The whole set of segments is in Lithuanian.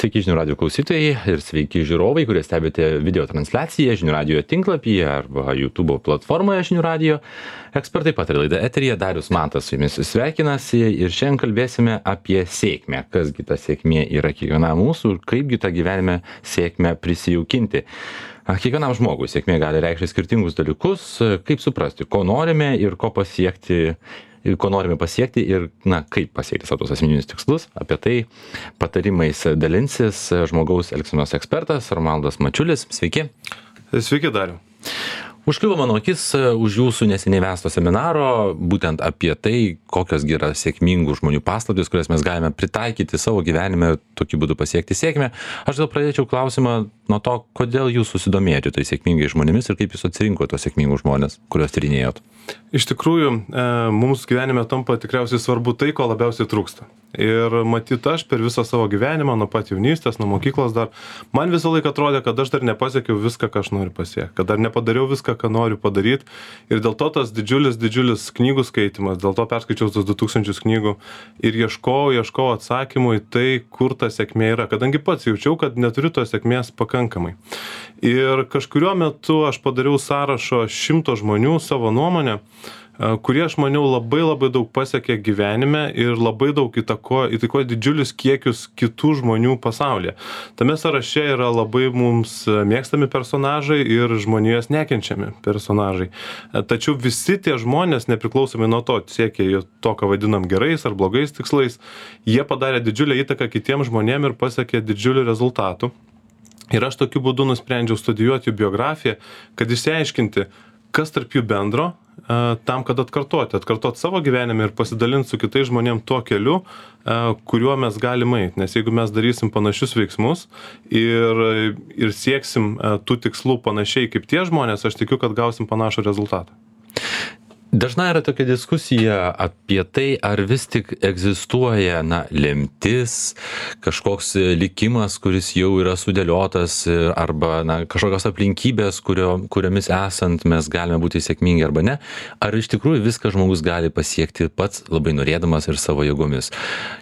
Sveiki žinių radio klausytojai ir sveiki žiūrovai, kurie stebite video transliaciją žinių radio tinklapyje arba YouTube platformoje žinių radio. Ekspertai pataria laida eteryje, Darius Matas su jumis sveikinasi ir šiandien kalbėsime apie sėkmę. Kasgi ta sėkmė yra kiekvienam mūsų ir kaipgi tą gyvenime sėkmę prisijaukinti. Kiekvienam žmogui sėkmė gali reikšti skirtingus dalykus, kaip suprasti, ko norime ir ko pasiekti. Ir ko norime pasiekti ir, kaip pasiekti savo tos asmeninius tikslus. Apie tai patarimais dalinsis žmogaus elgsenos ekspertas Romualdas Mačiulis. Sveiki. Sveiki, Dariau. Užkliuvo mano akis už jūsų neseniai vesto seminaro, būtent apie tai, kokios yra sėkmingų žmonių paslaptys, kurias mes galime pritaikyti savo gyvenime, tokiu būdu pasiekti sėkmę. Aš gal pradėčiau klausimą nuo to, kodėl jūs susidomėjote tai sėkmingai žmonėmis ir kaip jūs atsirinkote tos sėkmingus žmonės, kuriuos tyrinėjot. Iš tikrųjų, mums gyvenime tampa tikriausiai svarbu tai, ko labiausiai trūksta. Ir matyt, aš per visą savo gyvenimą, nuo pat jaunystės, nuo mokyklos dar, man visą laiką atrodė, kad aš dar nepasiekiau viską, ką aš noriu pasiekti, kad dar nepadariau viską, ką noriu padaryti. Ir dėl to tas didžiulis knygų skaitimas, dėl to perskaičiau tos 2000 knygų ir ieškojau atsakymų į tai, kur ta sėkmė yra, kadangi pats jaučiau, kad neturiu tos sėkmės pakankamai. Ir kažkuriuo metu aš padariau sąrašo 100 žmonių savo nuomonę, kurie, aš maniau, labai daug pasiekė gyvenime ir labai daug įtakoja didžiulius kiekius kitų žmonių pasaulyje. Tame sąraše yra labai mums mėgstami personažai ir žmonijos nekenčiami personažai. Tačiau visi tie žmonės, nepriklausomai nuo to, siekia to, ką vadinam gerais ar blogais tikslais, jie padarė didžiulę įtaką kitiems žmonėms ir pasiekė didžiulių rezultatų. Ir aš tokiu būdu nusprendžiau studijuoti jų biografiją, kad išsiaiškinti, kas tarp jų bendro, tam, kad atkartot savo gyvenime ir pasidalinti su kitais žmonėm tuo keliu, kuriuo mes galime eiti. Nes jeigu mes darysim panašius veiksmus ir sieksim tų tikslų panašiai kaip tie žmonės, aš tikiu, kad gausim panašų rezultatą. Dažnai yra tokia diskusija apie tai, ar vis tik egzistuoja, lemtis, kažkoks likimas, kuris jau yra sudėliotas, arba kažkokios aplinkybės, kuriomis esant mes galime būti sėkmingi arba ne. Ar iš tikrųjų viską žmogus gali pasiekti pats labai norėdamas ir savo jėgomis?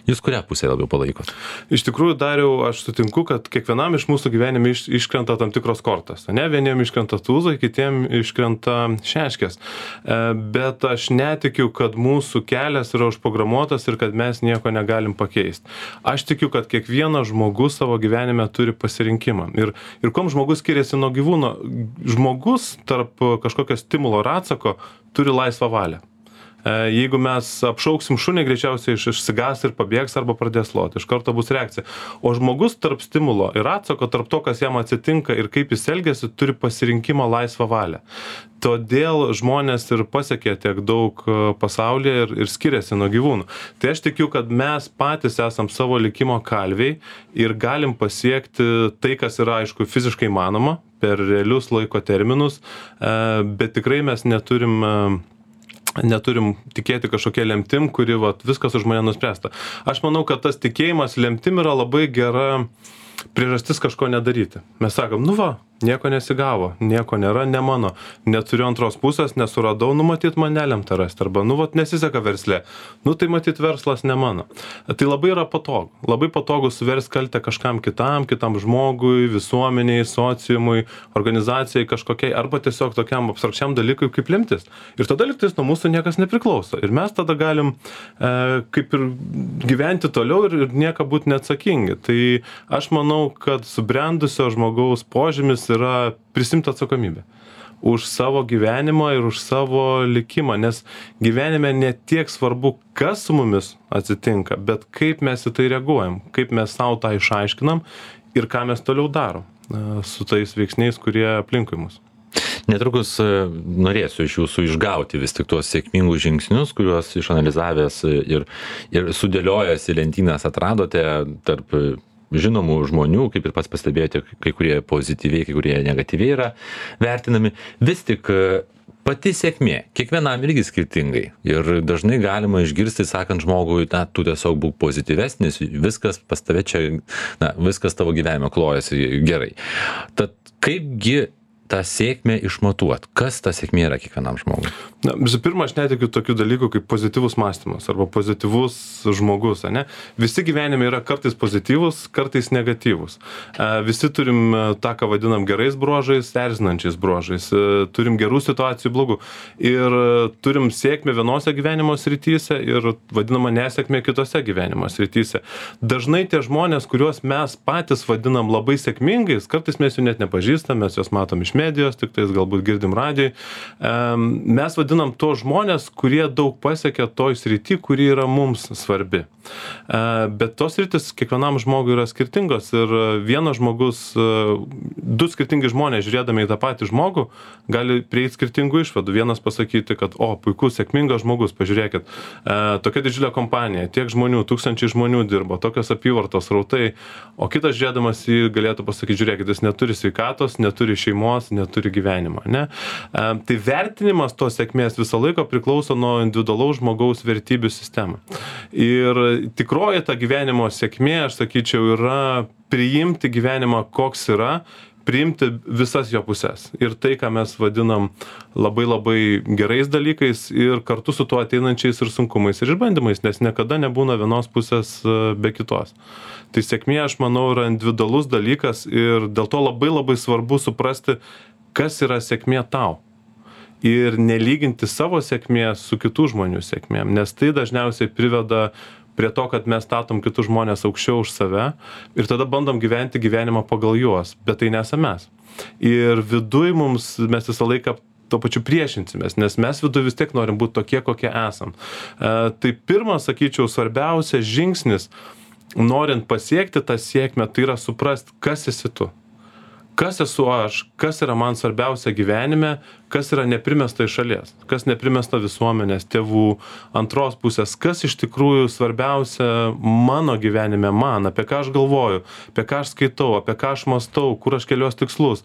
Jūs kurią pusę labiau palaikot? Iš tikrųjų, Dariau, aš sutinku, kad kiekvienam iš mūsų gyvenime iškrenta tam tikros kortos. Vieniem iškrenta tūzai, kitiem iškrenta šeškės. Bet aš netikiu, kad mūsų kelias yra užprogramuotas ir kad mes nieko negalim pakeisti. Aš tikiu, kad kiekvienas žmogus savo gyvenime turi pasirinkimą. Ir kuom žmogus skiriasi nuo gyvūno? Žmogus tarp kažkokio stimulo ir atsako turi laisvą valią. Jeigu mes apšauksim šunį, greičiausiai išsigas ir pabėgs arba pradės loti. Iš karto bus reakcija. O žmogus tarp stimulo ir atsako, tarp to, kas jam atsitinka ir kaip jis elgiasi, turi pasirinkimo laisvą valią. Todėl žmonės ir pasiekė tiek daug pasaulyje ir skiriasi nuo gyvūnų. Tai aš tikiu, kad mes patys esam savo likimo kalviai ir galim pasiekti tai, kas yra, aišku, fiziškai manoma per realius laiko terminus, bet tikrai mes neturim tikėti kažkokia lemtim, kuri viskas už mane nuspręsta. Aš manau, kad tas tikėjimas lemtim yra labai gera priežastis kažko nedaryti. Mes sakom, nieko nesigavo, nieko nėra, ne mano, neturiu antros pusės, nesuradau, matyt, man nelemta rasti, arba, nesiseka versle, tai matyt, verslas ne mano. Tai labai yra patogu. Labai patogu suversti kaltę kažkam kitam žmogui, visuomeniai, sociumui, organizacijai kažkokiai, arba tiesiog tokiam abstrakčiam dalykui kaip lemtis. Ir tada lygtais nuo mūsų niekas nepriklauso. Ir mes tada galim kaip ir gyventi toliau ir nieko būti neatsakingi. Tai aš manau, kad subrendusio žmogaus požymis yra prisimti atsakomybę už savo gyvenimą ir už savo likimą, nes gyvenime ne tiek svarbu, kas su mumis atsitinka, bet kaip mes į tai reaguojam, kaip mes savo tą išaiškinam ir ką mes toliau darom su tais veiksniais, kurie aplinkui mus. Netrukus norėsiu iš jūsų išgauti vis tik tuos sėkmingus žingsnius, kuriuos išanalizavęs ir sudėliojęs į lentynas atradote tarp žinomų žmonių, kaip ir pats pastebėjote, kai kurie pozityviai, kai kurie negatyviai yra vertinami. Vis tik pati sėkmė, kiekvienam irgi skirtingai. Ir dažnai galima išgirsti, sakant žmogui, tu tiesiog būk pozityvesnis, viskas pas tave čia, viskas tavo gyvenime klojasi gerai. Tad kaipgi tą sėkmę išmatuot? Kas ta sėkmė yra kiekvienam žmogui? Na, visų pirma, aš netikiu tokių dalykų kaip pozityvus mąstymas arba pozityvus žmogus, ane? Visi gyvenime yra kartais pozityvus, kartais negatyvus. Visi turim tą, ką vadinam gerais bruožais, erzinančiais bruožais. Turim gerų situacijų, blogų. Ir turim sėkmę vienose gyvenimo srityse ir vadinamą nesėkmę kitose gyvenimo srityse. Dažnai tie žmonės, kuriuos mes patys vadinam labai sėkmingais, kartais mes jų net nepažįstam, mes juos matom iš medijos, tik tais galbūt girdim radijoj. Mes vadinam tos žmonės, kurie daug pasiekia toj srity, kuri yra mums svarbi. Bet tos sritis kiekvienam žmogui yra skirtingos ir vienas žmogus, du skirtingi žmonės žiūrėdami į tą patį žmogų gali prieiti skirtingų išvadų. Vienas pasakyti, kad puikus, sėkmingas žmogus, pažiūrėkit, tokia didžiulė kompanija, tiek žmonių, tūkstančiai žmonių dirbo, tokios apyvartos rautai, o kitas žiūrėdamas jį galėtų pasakyti, žiūrėkit, jis neturi sveikatos, neturi šeimos, neturi gyvenimo, ne? Tai vertinimas tos sėkmės visą laiką priklauso nuo individualaus žmogaus vertybių sistemą. Ir tikroji ta gyvenimo sėkmė, aš sakyčiau, yra priimti gyvenimą koks yra, priimti visas jo pusės. Ir tai, ką mes vadinam labai labai gerais dalykais ir kartu su tuo ateinančiais ir sunkumais ir išbandymais, nes niekada nebūna vienos pusės be kitos. Tai sėkmė, aš manau, yra individualus dalykas ir dėl to labai labai svarbu suprasti, kas yra sėkmė tau. Ir nelyginti savo sėkmės su kitų žmonių sėkmėm, nes tai dažniausiai priveda prie to, kad mes statom kitus žmonės aukščiau už save ir tada bandom gyventi gyvenimą pagal juos, bet tai nesame mes. Ir viduj mes visą laiką tuo pačiu priešinsimės, nes mes viduj vis tiek norim būti tokie, kokie esam. Tai pirmas, sakyčiau, svarbiausias žingsnis, norint pasiekti tą sėkmę, tai yra suprasti, kas esi tu. Kas esu aš, kas yra man svarbiausia gyvenime, kas yra neprimesta iš šalies, kas neprimesta visuomenės, tėvų, antros pusės, kas iš tikrųjų svarbiausia mano gyvenime man, apie ką aš galvoju, apie ką aš skaitau, apie ką aš mąstau, kur aš keliuos tikslus.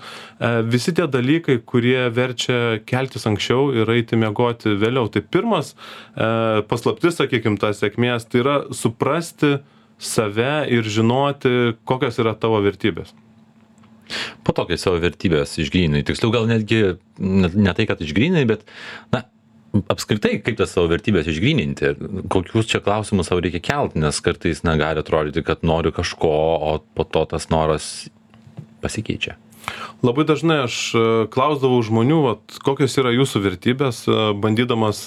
Visi tie dalykai, kurie verčia keltis anksčiau ir eiti miegoti vėliau. Tai pirmas paslaptis, sakykim, tas sėkmės, tai yra suprasti save ir žinoti, kokios yra tavo vertybės. Po to, kai savo vertybės išgryninai, tiksliau gal netgi ne tai, kad išgryninai, bet apskritai, kaip tas savo vertybės išgryninti, kokius čia klausimus savo reikia kelti, nes kartais gali atrodyti, kad noriu kažko, o po to tas noras pasikeičia. Labai dažnai aš klausdavau žmonių, kokios yra jūsų vertybės, bandydamas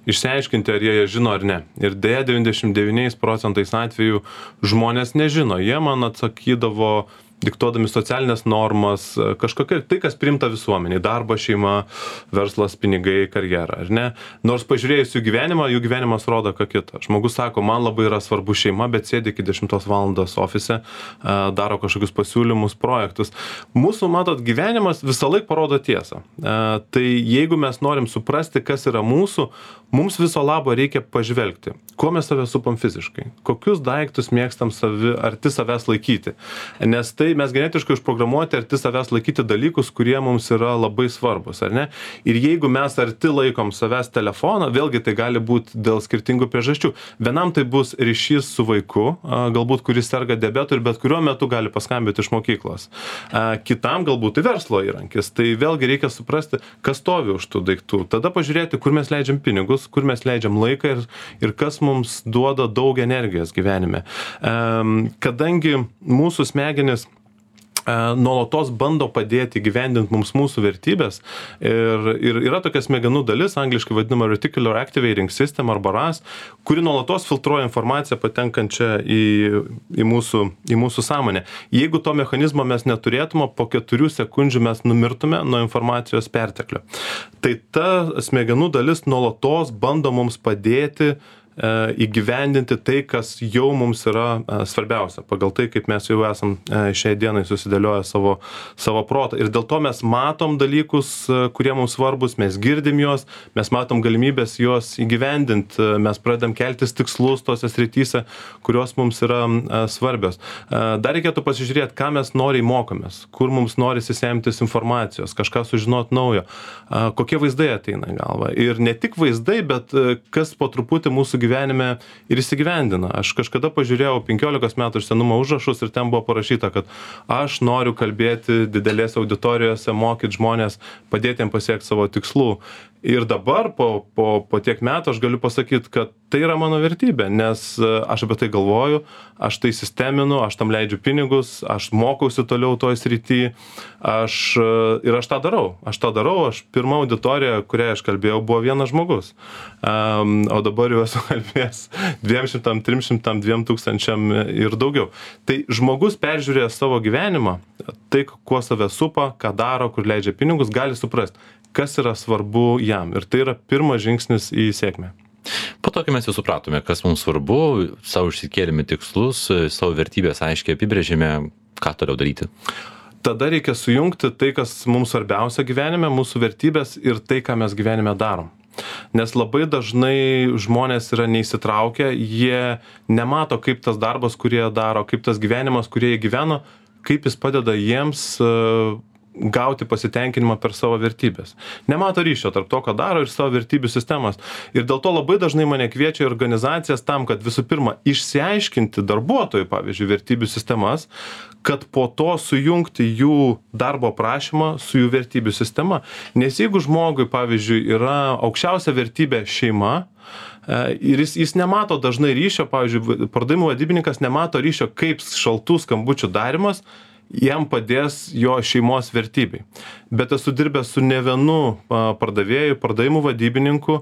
išsiaiškinti, ar jie žino ar ne. Ir deja 99% atvejų žmonės nežino. Jie man atsakydavo diktuodami socialinės normas, kažkokia, tai kas priimta visuomeniai, darbo, šeima, verslas, pinigai, karjera, ar ne? Nors pažiūrėjus jų gyvenimas rodo ką kitą. Žmogus sako, man labai yra svarbu šeima, bet sėdi iki 10 valandos ofise, daro kažkokius pasiūlymus, projektus. Mūsų, matot, gyvenimas visą laiką parodo tiesą. Tai jeigu mes norim suprasti, kas yra mūsų, mums viso labo reikia pažvelgti, kuo mes save supam fiziškai, kokius daiktus mėgstam arti savęs laikyti. Nes tai mes genetiškai užprogramuoti arti savęs laikyti dalykus, kurie mums yra labai svarbus, ar ne? Ir jeigu mes arti laikom savęs telefoną, vėlgi tai gali būti dėl skirtingų priežasčių. Vienam tai bus ryšys su vaiku, galbūt kuris serga diabetu ir bet kuriuo metu gali paskambinti iš mokyklos. Kitam galbūt tai verslo įrankis. Tai vėlgi reikia suprasti, kas stovi už tų daiktų. Tada pažiūrėti, kur mes leidžiam pinigus, kur mes leidžiam laiką ir kas mums duoda daug energijos gyvenime. Kadangi mūsų smegenys nuolatos bando padėti gyvendinti mums mūsų vertybės ir yra tokia smegenų dalis, angliškai vadinama Reticular Activating System arba RAS, kuri nuolatos filtruoja informaciją patenkančią į mūsų sąmonę. Jeigu to mechanizmo mes neturėtume, po 4 sekundžių mes numirtume nuo informacijos perteklio. Tai ta smegenų dalis nuolatos bando mums padėti įgyvendinti tai, kas jau mums yra svarbiausia, pagal tai, kaip mes jau esam šiai dienai susidėlioję savo protą. Ir dėl to mes matom dalykus, kurie mums svarbus, mes girdim juos, mes matom galimybės juos įgyvendinti, mes pradedam keltis tikslus tose srityse, kurios mums yra svarbios. Dar reikėtų pasižiūrėti, ką mes noriai mokomės, kur mums norisi semtis informacijos, kažką sužinoti naujo, kokie vaizdai ateina į galvą. Ir ne tik vaizdai, bet kas po truputį mūsų gyvenime ir įsigyvendina. Aš kažkada pažiūrėjau 15 metų senumo užrašus ir ten buvo parašyta, kad aš noriu kalbėti didelės auditorijose, mokyti žmonės, padėti jiems pasiekti savo tikslų. Ir dabar po tiek metų aš galiu pasakyti, kad tai yra mano vertybė, nes aš apie tai galvoju, aš tai sisteminu, aš tam leidžiu pinigus, aš mokausi toliau toj srity, ir aš tą darau. Aš pirma auditorija, kurią aš kalbėjau, buvo vienas žmogus. O dabar jau esu kalbėjęs 200, 300, 2000 ir daugiau. Tai žmogus peržiūrėjęs savo gyvenimą, tai kuo save supa, ką daro, kur leidžia pinigus, gali suprasti, kas yra svarbu jam. Ir tai yra pirmas žingsnis į sėkmę. Po to, kai mes jau supratome, kas mums svarbu, savo išsikėlėme tikslus, savo vertybės aiškiai apibrėžėme, ką toliau daryti. Tada reikia sujungti tai, kas mums svarbiausia gyvenime, mūsų vertybės ir tai, ką mes gyvenime darom. Nes labai dažnai žmonės yra neįsitraukę, jie nemato, kaip tas darbas, kurį jie daro, kaip tas gyvenimas, kurį jie gyveno, kaip jis padeda jiems gauti pasitenkinimą per savo vertybės. Nemato ryšio tarp to, ką daro ir savo vertybių sistemas. Ir dėl to labai dažnai mane kviečia organizacijas tam, kad visų pirma išsiaiškinti darbuotojų, pavyzdžiui, vertybių sistemas, kad po to sujungti jų darbo prašymą su jų vertybių sistema. Nes jeigu žmogui, pavyzdžiui, yra aukščiausia vertybė šeima, ir jis nemato dažnai ryšio, pavyzdžiui, pardavimų vadybininkas nemato ryšio, kaip šaltų skambučių darimas jam padės jo šeimos vertybei. Bet esu dirbęs su ne vienu pardavėju, pardavimų vadybininku,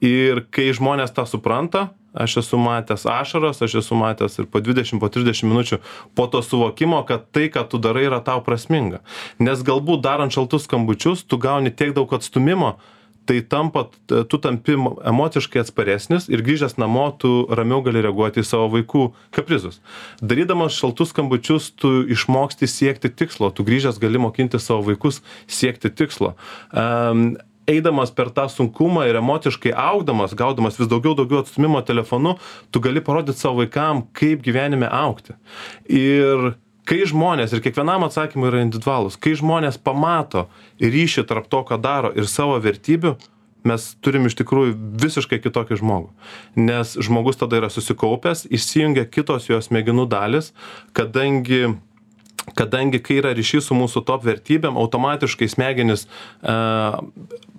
ir kai žmonės tą supranta, aš esu matęs ašaras, aš esu matęs ir po 20, po 30 minučių po to suvokimo, kad tai, ką tu darai, yra tau prasminga. Nes galbūt darant šaltus skambučius, tu gauni tiek daug atstumimo, tai tu tampi emociškai atsparesnis ir grįžęs namo tu ramiau gali reaguoti į savo vaikų kaprizus. Darydamas šaltus skambučius tu išmoksti siekti tikslo, tu grįžęs gali mokinti savo vaikus siekti tikslo. Eidamas per tą sunkumą ir emociškai augdamas, gaudamas vis daugiau atstumimo telefonu, tu gali parodyti savo vaikam, kaip gyvenime augti. Ir kai žmonės, ir kiekvienam atsakymui yra individualus, kai žmonės pamato ryšį tarp to, ką daro, ir savo vertybių, mes turim iš tikrųjų visiškai kitokį žmogų. Nes žmogus tada yra susikaupęs, išsijungia kitos jo smegenų dalis, kadangi kai yra ryšys su mūsų top vertybėm, automatiškai smegenys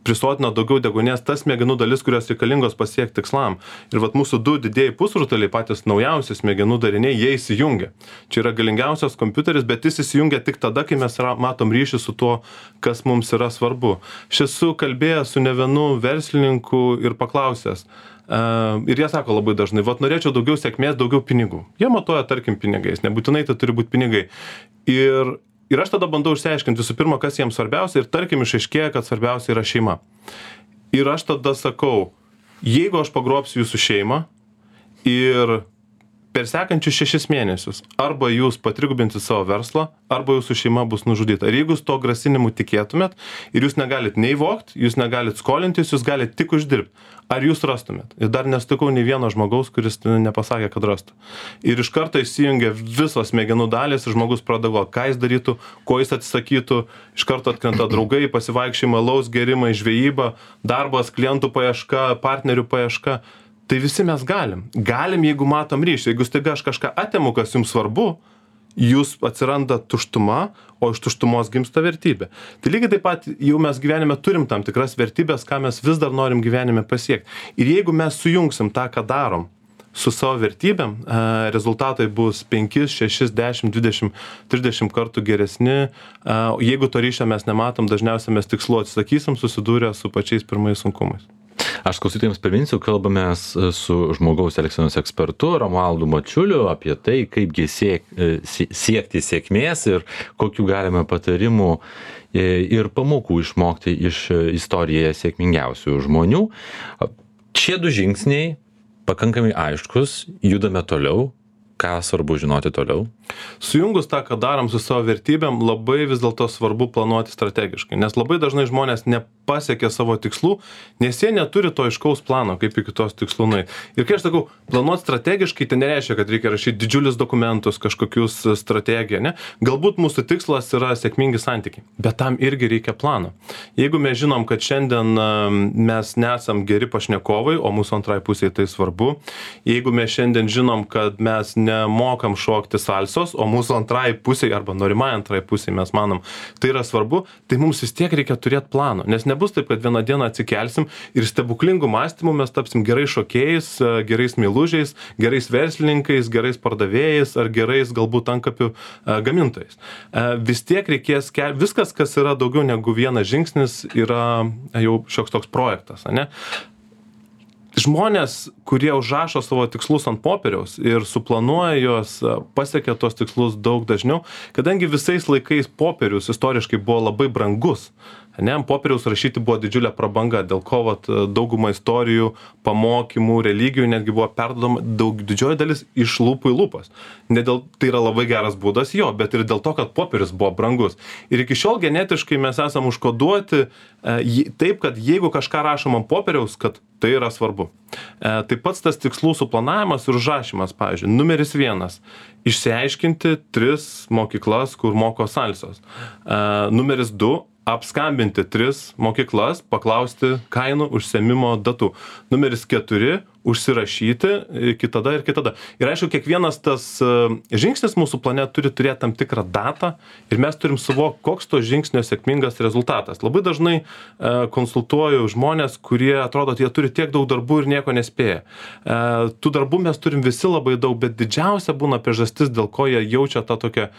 prisotina daugiau deguonies, tas smegenų dalis, kurios reikalingos pasiekti tikslam. Ir vat mūsų du didieji pusrutuliai, patys naujausi smegenų dariniai, jie įsijungia. Čia yra galingiausias kompiuteris, bet jis įsijungia tik tada, kai mes matom ryšį su tuo, kas mums yra svarbu. Aš esu kalbėjęs su ne vienu verslininku ir paklausęs. Ir jie sako labai dažnai, vat norėčiau daugiau sėkmės, daugiau pinigų. Jie matuoja, tarkim, pinigais, nebūtinai tai turi būti pinigai. Ir aš tada bandau išsiaiškinti visų pirma, kas jiems svarbiausia, ir tarkim išaiškėja, kad svarbiausia yra šeima. Ir aš tada sakau, jeigu aš pagrobsiu jūsų šeimą ir per sekančius 6 mėnesius arba jūs patrigubinsit savo verslą, arba jūsų šeima bus nužudyta. Ir jeigu jūs to grasinimu tikėtumėt ir jūs negalit nei vogt, jūs negalit skolintis, jūs galit tik uždirbti, ar jūs rastumėt? Ir dar nesutikau nei vieno žmogaus, kuris nepasakė, kad rastų. Ir iš karto įsijungia visos smegenų dalys ir žmogus pradeda galvoti, ką jis darytų, ko jis atsisakytų, iš karto atkrenta draugai, pasivaikščiojimai, alaus gėrimai, žvejyba, darbas, klientų paieška, partnerių paieška. Tai visi mes galim. Galim, jeigu matom ryšį. Jeigu staiga aš kažką atimu, kas jums svarbu, jūs atsiranda tuštuma, o iš tuštumos gimsta vertybė. Tai lygiai taip pat jau mes gyvenime turim tam tikras vertybės, ką mes vis dar norim gyvenime pasiekti. Ir jeigu mes sujungsim tą, ką darom, su savo vertybėm, rezultatai bus 5, 6, 10, 20, 30 kartų geresni. Jeigu to ryšio mes nematom, dažniausiai mes tikslu atsisakysim, susidūrę su pačiais pirmais sunkumais. Aš klausytojams priminsiu, kalbamės su žmogaus elgsenos ekspertu Romualdu Mačiuliu apie tai, kaipgi siekti sėkmės ir kokių galime patarimų ir pamokų išmokti iš istorijoje sėkmingiausių žmonių. Šie 2 žingsniai pakankamai aiškus, judame toliau. Ką svarbu žinoti toliau? Sujungus tą, ką darom su savo vertybėm, labai vis dėlto svarbu planuoti strategiškai, nes labai dažnai žmonės pasiekia savo tikslų, nes jie neturi to aiškaus plano, kaip iki tos tikslų nueiti. Ir kai aš sakau, planuoti strategiškai, tai nereiškia, kad reikia rašyti didžiulius dokumentus, kažkokius strategiją, ne? Galbūt mūsų tikslas yra sėkmingi santykiai, bet tam irgi reikia plano. Jeigu mes žinom, kad šiandien mes nesam geri pašnekovai, o mūsų antrai pusėje tai svarbu, jeigu mes šiandien žinom, kad mes nemokam šokti salsos, o mūsų antrai pusėje arba norimai antrai pusėje mes manom, tai yra svarbu, tai mums vis tiek reikia turėti plano, nes nebus taip, kad vieną dieną atsikelsim ir stebuklingų mąstymų mes tapsim gerais šokėjais, gerais meilužiais, gerais verslininkais, gerais pardavėjais ar gerais galbūt antkapių gamintojais. Vis tiek reikės, viskas, kas yra daugiau negu vienas žingsnis, yra jau šioks toks projektas, ne? Žmonės, kurie užrašo savo tikslus ant popieriaus ir suplanuoja juos, pasiekia tos tikslus daug dažniau, kadangi visais laikais popierius istoriškai buvo labai brangus. Ne, ant popieriaus rašyti buvo didžiulė prabanga, dėl ko dauguma istorijų, pamokymų, religijų netgi buvo perduodama didžioji dalis iš lūpų į lūpas. Ne dėl, tai yra labai geras būdas jo, bet ir dėl to, kad popierius buvo brangus. Ir iki šiol genetiškai mes esam užkoduoti taip, kad jeigu kažką rašom ant popieriaus, kad tai yra svarbu. Taip pats tas tikslų suplanavimas ir užrašymas, pavyzdžiui, numeris 1. Išsiaiškinti 3 mokyklas, kur moko salsos. Numeris 2. Apskambinti 3 mokyklas, paklausti kainų, užsiėmimo datų. Numeris 4. Užsirašyti iki tada ir kitada. Ir aišku, kiekvienas tas žingsnis mūsų plane turi turėti tam tikrą datą ir mes turim suvokti, koks to žingsnio sėkmingas rezultatas. Labai dažnai konsultuoju žmonės, kurie atrodo, jie turi tiek daug darbų ir nieko nespėja. Tų darbų mes turim visi labai daug, bet didžiausia būna priežastis, dėl ko jie jaučia tą tokią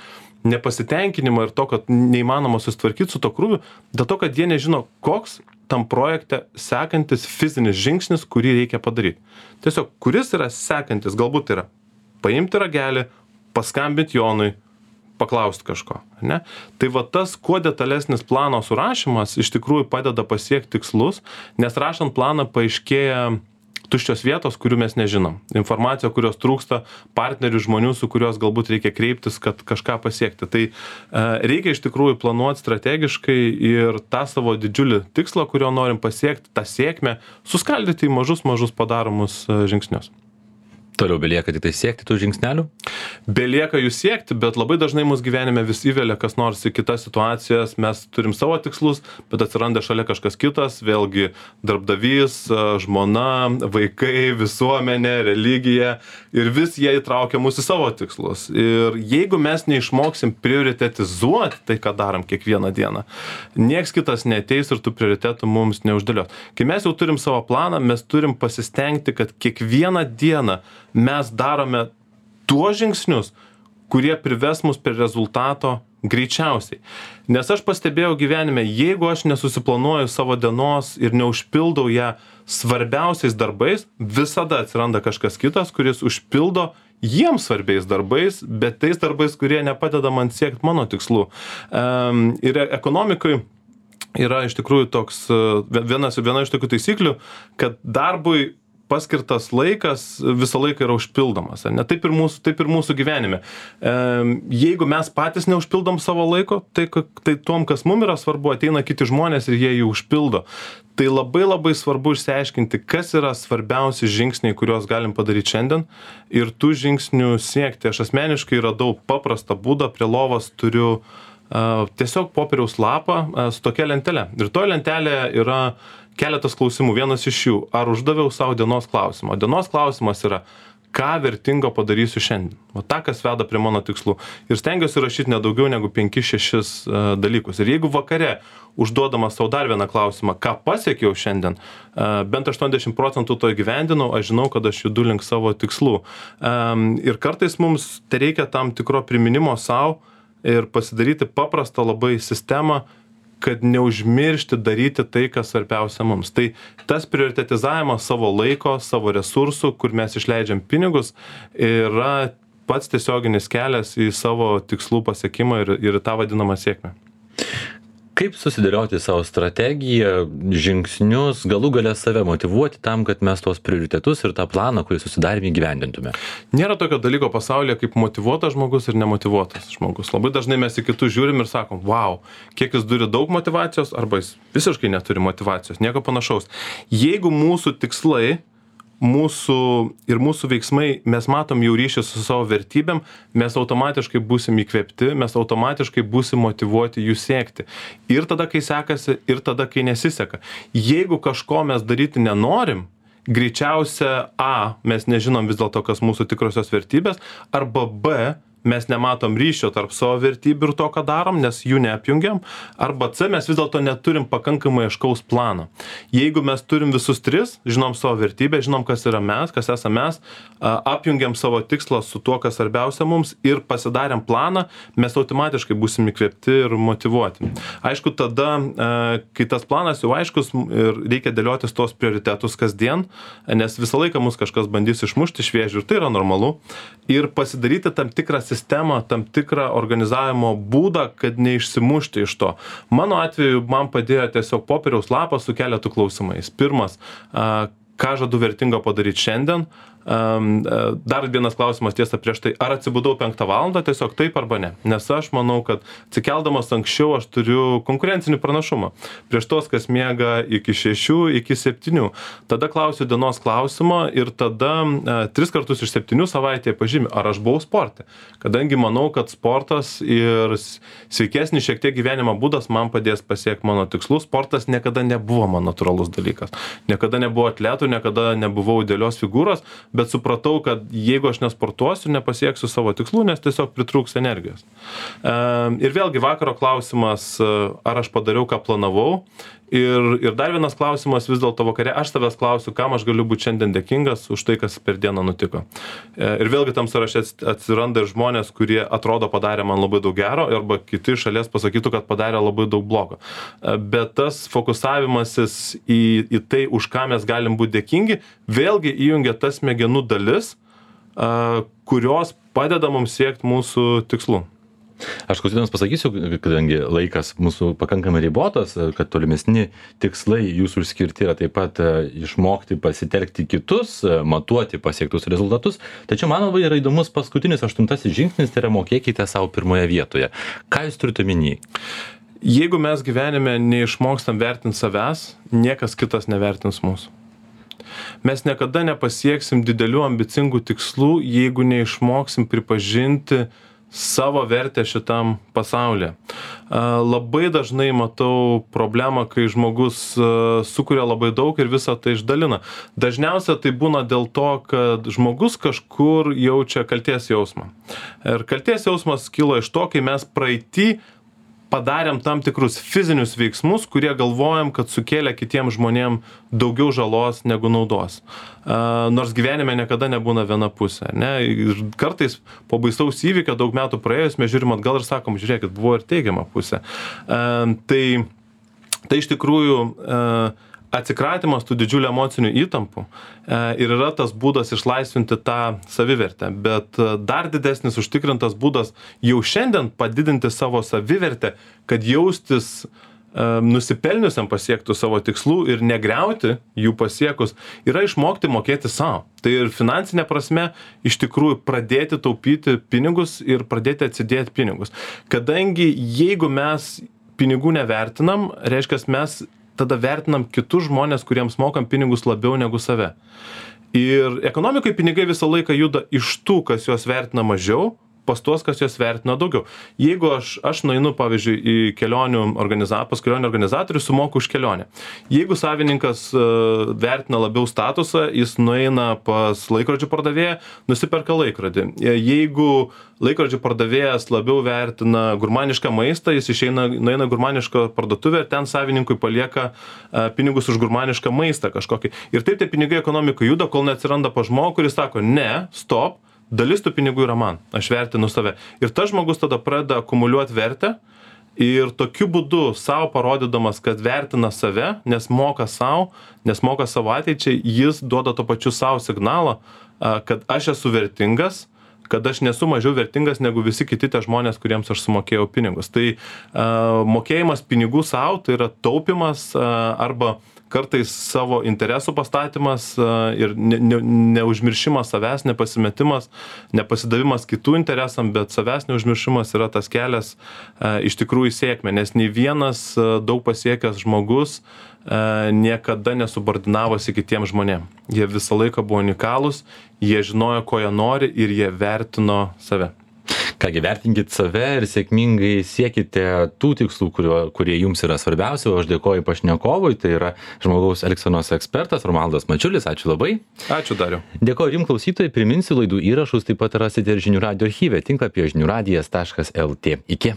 nepasitenkinimą ir to, kad neįmanoma susitvarkyti su to krūviu, dėl to, kad jie nežino, koks tam projekte sekantis fizinis žingsnis, kurį reikia padaryti. Tiesiog, kuris yra sekantis, galbūt yra paimti ragelį, paskambinti Jonui, paklausti kažko. Ne? Tai tas, kuo detalesnis plano surašymas, iš tikrųjų padeda pasiekti tikslus, nes rašant planą paaiškėja tuščios vietos, kurių mes nežinom. Informacija, kurios trūksta, partnerių, žmonių, su kurios galbūt reikia kreiptis, kad kažką pasiekti. Tai reikia iš tikrųjų planuoti strategiškai ir tą savo didžiulį tikslą, kurio norim pasiekti, tą sėkmę, suskaldyti į mažus padaromus žingsnius. Toliau belieka tik tai siekti tų žingsnelių? Belieka jų siekti, bet labai dažnai mūsų gyvenime vis įvelia kas nors į kitas situacijas, mes turim savo tikslus, bet atsiranda šalia kažkas kitas, vėlgi darbdavys, žmona, vaikai, visuomenė, religija ir vis jie įtraukia mūsų į savo tikslus. Ir jeigu mes neišmoksim prioritetizuoti tai, ką darom kiekvieną dieną, nieks kitas neateis ir tų prioritetų mums neuždėlios. Kai mes jau turim savo planą, mes turim pasistengti, kad kiekvieną dieną mes darome tuos žingsnius, kurie prives mus prie rezultato greičiausiai. Nes aš pastebėjau gyvenime, jeigu aš nesusiplanuoju savo dienos ir neužpildau ją svarbiausiais darbais, visada atsiranda kažkas kitas, kuris užpildo jiems svarbiais darbais, bet tais darbais, kurie nepadeda man siekti mano tikslų. Ir ekonomikoj yra iš tikrųjų toks, viena iš tokių taisyklių, kad darbui paskirtas laikas visą laiką yra užpildomas. Ne? Taip ir mūsų gyvenime. Jeigu mes patys neužpildom savo laiko, tai tom, kas mums yra svarbu, ateina kiti žmonės ir jie jų užpildo. Tai labai svarbu išsiaiškinti, kas yra svarbiausi žingsniai, kuriuos galim padaryti šiandien ir tų žingsnių siekti. Aš asmeniškai radau paprastą būdą, prie lovos turiu tiesiog popieriaus lapą su tokia lentelė. Ir toje lentelėje yra keletas klausimų. Vienas iš jų, ar uždaviau savo dienos klausimą. Dienos klausimas yra, ką vertingo padarysiu šiandien. Ta, kas veda prie mano tikslų. Ir stengiuosi rašyti nedaugiau negu 5-6 dalykus. Ir jeigu vakare užduodamas savo dar vieną klausimą, ką pasiekiau šiandien, bent 80% to įgyvendinau, aš žinau, kad aš judu link savo tikslų. Ir kartais mums tai reikia tam tikro priminimo savo ir pasidaryti paprastą labai sistemą, kad neužmiršti daryti tai, kas svarbiausia mums. Tai tas prioritetizavimas savo laiko, savo resursų, kur mes išleidžiam pinigus, yra pats tiesioginis kelias į savo tikslų pasiekimą ir tą vadinamą sėkmę. Kaip susidėlioti savo strategiją, žingsnius, galų gale save motyvuoti tam, kad mes tuos prioritetus ir tą planą, kurį susidarėme, įgyvendintume? Nėra tokio dalyko pasaulyje kaip motyvuotas žmogus ir nemotyvuotas žmogus. Labai dažnai mes į kitus žiūrim ir sakom, wow, kiek jis turi daug motyvacijos arba jis visiškai neturi motyvacijos, nieko panašaus. Jeigu mūsų tikslai, mūsų veiksmai, mes matom jau ryšį su savo vertybėm, mes automatiškai būsim įkvėpti, mes automatiškai būsim motyvuoti jų siekti. Ir tada, kai sekasi, ir tada, kai nesiseka. Jeigu kažko mes daryti nenorim, greičiausia A, mes nežinom vis dėlto, kas mūsų tikrosios vertybės, arba B, mes nematom ryšio tarp savo vertybių ir to, ką darom, nes jų neapjungiam, arba C, mes vis dėlto neturim pakankamai aiškaus plano. Jeigu mes turim visus tris, žinom savo vertybę, žinom, kas yra mes, kas esame mes, apjungiam savo tikslą su tuo, kas svarbiausia mums ir pasidarėm planą, mes automatiškai būsim įkvėpti ir motyvuoti. Aišku, tada, kai tas planas jau aiškus ir reikia dėliotis tos prioritetus kasdien, nes visą laiką mus kažkas bandys išmušti iš vėžių ir tai yra normalu, ir pasidaryti tam tikrą sistemą, tam tikrą organizavimo būdą, kad neišsimušti iš to. Mano atveju man padėjo tiesiog popieriaus lapas su keletu klausimais. Pirmas, ką žadu vertingo padaryti šiandien. Dar vienas klausimas tiesa prieš tai, ar atsibudau 5 valandą, tiesiog taip arba ne. Nes aš manau, kad atsikeldamas anksčiau aš turiu konkurencinį pranašumą. Prieš tos, kas miega iki 6, iki 7. Tada klausiu dienos klausimo ir tada 3 kartus iš 7 savaitėje pažymiu, ar aš buvau sporte. Kadangi manau, kad sportas ir sveikesnis šiek tiek gyvenimo būdas man padės pasiekti mano tikslus. Sportas niekada nebuvo man natūralus dalykas. Niekada nebuvo atletų, niekada nebuvau idealios figūros, bet supratau, kad jeigu aš nesportuosiu, nepasieksiu savo tikslų, nes tiesiog pritrūks energijos. Ir vėlgi vakaro klausimas, ar aš padariau, ką planavau. Ir dar vienas klausimas vis dėlto vakare, aš tavęs klausiu, kam aš galiu būti šiandien dėkingas už tai, kas per dieną nutiko. Ir vėlgi tam sąraše atsiranda ir žmonės, kurie atrodo padarė man labai daug gero, arba kiti iš šalies pasakytų, kad padarė labai daug blogo. Bet tas fokusavimasis į tai, už ką mes galim būti dėkingi, vėlgi įjungia tas smegenų dalis, kurios padeda mums siekti mūsų tikslų. Aš klausytams pasakysiu, kadangi laikas mūsų pakankamai ribotas, kad tolimesni tikslai jūsų išskirti yra taip pat išmokti pasitelkti kitus, matuoti pasiektus rezultatus. Tačiau man labai yra įdomus paskutinis 8 žingsnis, tai yra mokėkite savo pirmoje vietoje. Ką jūs turite omeny? Jeigu mes gyvenime neišmokstam vertinti savęs, niekas kitas nevertins mūsų. Mes niekada nepasieksim didelių ambicingų tikslų, jeigu neišmoksim pripažinti savo vertę šitam pasaulyje. Labai dažnai matau problemą, kai žmogus sukuria labai daug ir visą tai išdalina. Dažniausia tai būna dėl to, kad žmogus kažkur jaučia kaltės jausmą. Ir kaltės jausmas kilo iš to, kai mes praeity padarėm tam tikrus fizinius veiksmus, kurie galvojam, kad sukėlė kitiems žmonėm daugiau žalos negu naudos. Nors gyvenime niekada nebūna viena pusė. Ne? Ir kartais po baisaus įvykio daug metų praėjus mes žiūrim atgal ir sakom, žiūrėkit, buvo ir teigiama pusė. Tai iš tikrųjų atsikratymas tų didžiulių emocinių įtampų ir yra tas būdas išlaisvinti tą savivertę. Bet dar didesnis užtikrintas būdas jau šiandien padidinti savo savivertę, kad jaustis nusipelniusiam pasiektų savo tikslų ir negriauti jų pasiekus, yra išmokti mokėti savo. Tai ir finansinė prasme iš tikrųjų pradėti taupyti pinigus ir pradėti atsidėti pinigus. Kadangi jeigu mes pinigų nevertinam, reiškia mes tada vertinam kitus žmonės, kuriems mokam pinigus labiau negu save. Ir ekonomikai pinigai visą laiką juda iš tų, kas juos vertina mažiau, pas tuos, kas juos vertina daugiau. Jeigu aš nueinu, pavyzdžiui, į pas kelionių organizatorių, sumoku už kelionę. Jeigu savininkas vertina labiau statusą, jis nueina pas laikrodžių pardavėją, nusiperka laikrodį. Jeigu laikrodžių pardavėjas labiau vertina gurmanišką maistą, jis nueina gurmanišką parduotuvę ir ten savininkui palieka pinigus už gurmanišką maistą kažkokį. Ir taip tie pinigai ekonomikai juda, kol neatsiranda pas žmogų, kuris sako, ne, stop, dalis tų pinigų yra man, aš vertinu save. Ir tas žmogus tada pradeda akumuliuoti vertę ir tokiu būdu savo parodydamas, kad vertina save, nes moka savo ateičiai, jis duoda to pačiu savo signalą, kad aš esu vertingas, kad aš nesu mažiau vertingas negu visi kiti tie žmonės, kuriems aš sumokėjau pinigus. Tai mokėjimas pinigų savo, tai yra taupimas arba kartais savo interesų pastatymas ir neužmiršimas savęs, nepasimetimas, nepasidavimas kitų interesam, bet savęs neužmiršimas yra tas kelias iš tikrųjų sėkmė, nes nei vienas daug pasiekęs žmogus niekada nesubordinavosi kitiems žmonėms. Jie visą laiką buvo unikalūs, jie žinojo, ko jie nori ir jie vertino save. Kągi, vertinkit save ir sėkmingai siekite tų tikslų, kurie jums yra svarbiausia. O aš dėkoju pašnekovui, tai yra žmogaus elgsenos ekspertas Romualdas Mačiulis. Ačiū labai. Ačiū, Dariau. Dėkoju jums, klausytojai. Priminsiu, laidų įrašus taip pat rasite ir žinių radijo archyve tinklapyje žiniųradijas.lt. Iki.